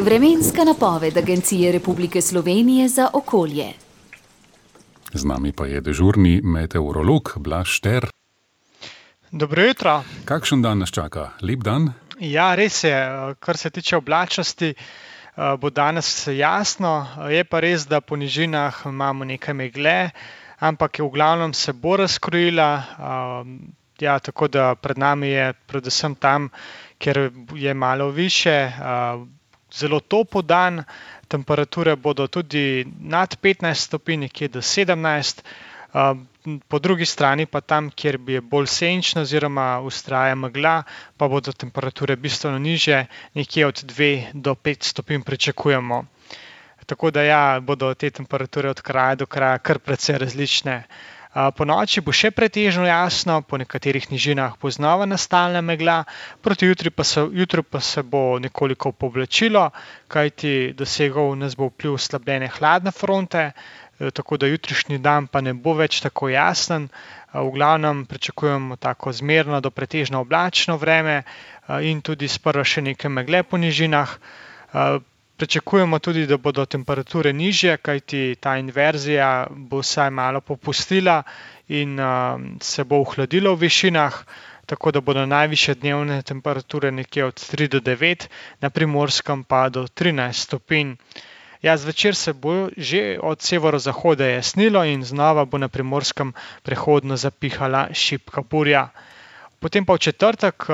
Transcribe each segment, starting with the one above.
Vremenska napoved Agencije Republike Slovenije za okolje. Z nami pa je dežurni meteorolog Blaž Šter. Dobro jutro. Kakšen dan nas čaka? Lep dan? Ja, res je. Kar se tiče oblačnosti, bo danes jasno. Je pa res, da po nižinah imamo nekaj megle, ampak v glavnem se bo razkrojila. Tako da pred nami je predvsem tam, kjer je malo više, zelo topel dan. Temperature bodo tudi nad 15 stopinj, nekje do 17. Po drugi strani pa tam, kjer je bolj senčno oziroma vztraja megla, pa bodo temperature bistveno nižje, nekje od 2 do 5 stopinj pričakujemo. Tako da bodo te temperature od kraja do kraja kar precej različne. Po noči bo še pretežno jasno, po nekaterih nižinah bo znova nastala megla, proti jutru pa se bo nekoliko povlačilo, kajti dosegel nas bo vpliv oslabljene hladne fronte, tako da jutrišnji dan pa ne bo več tako jasen. V glavnem pričakujemo tako zmerno do pretežno oblačno vreme in tudi sprva še nekaj megle po nižinah. Pričakujemo tudi, da bodo temperature nižje, kajti ta inverzija bo vsaj malo popustila in se bo ohladilo v višinah, tako da bodo najvišje dnevne temperature nekje od 3 do 9, na Primorskem pa do 13 stopinj. Zvečer se bo že od severozahoda jasnilo in znova bo na Primorskem prehodno zapihala šibka burja. Potem pa v četrtek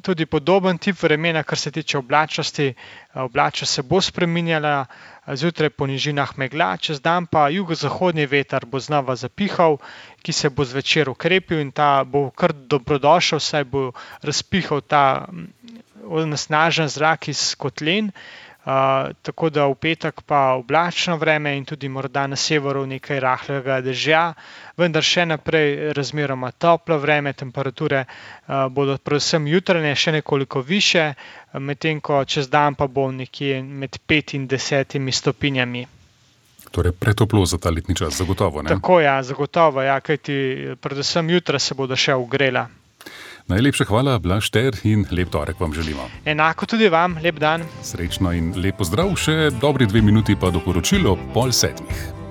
tudi podoben tip vremena, kar se tiče oblačnosti. Oblačnost se bo spreminjala, zjutraj po nižinah megla, čez dan pa jugozahodni veter bo znova zapihal, ki se bo zvečer ukrepil in ta bo kar dobrodošel, saj bo razpihal ta onesnažen zrak iz kotlin. Tako da v petek pa oblačno vreme in tudi morda na severu nekaj rahlega dežja, vendar še naprej razmeroma toplo vreme, temperature bodo predvsem jutranje še nekoliko više, medtem ko čez dan pa bo nekje med 5 in 10 stopinjami. Torej pretoplo za ta letni čas, zagotovo, ne? Tako, zagotovo, kajti predvsem jutra se bodo še ogrela. Najlepša hvala, Blaž Šter, in lep torek vam želimo. Enako tudi vam, lep dan. Srečno in lep pozdrav, še dobri 2 minuti pa do poročil ob 6:30.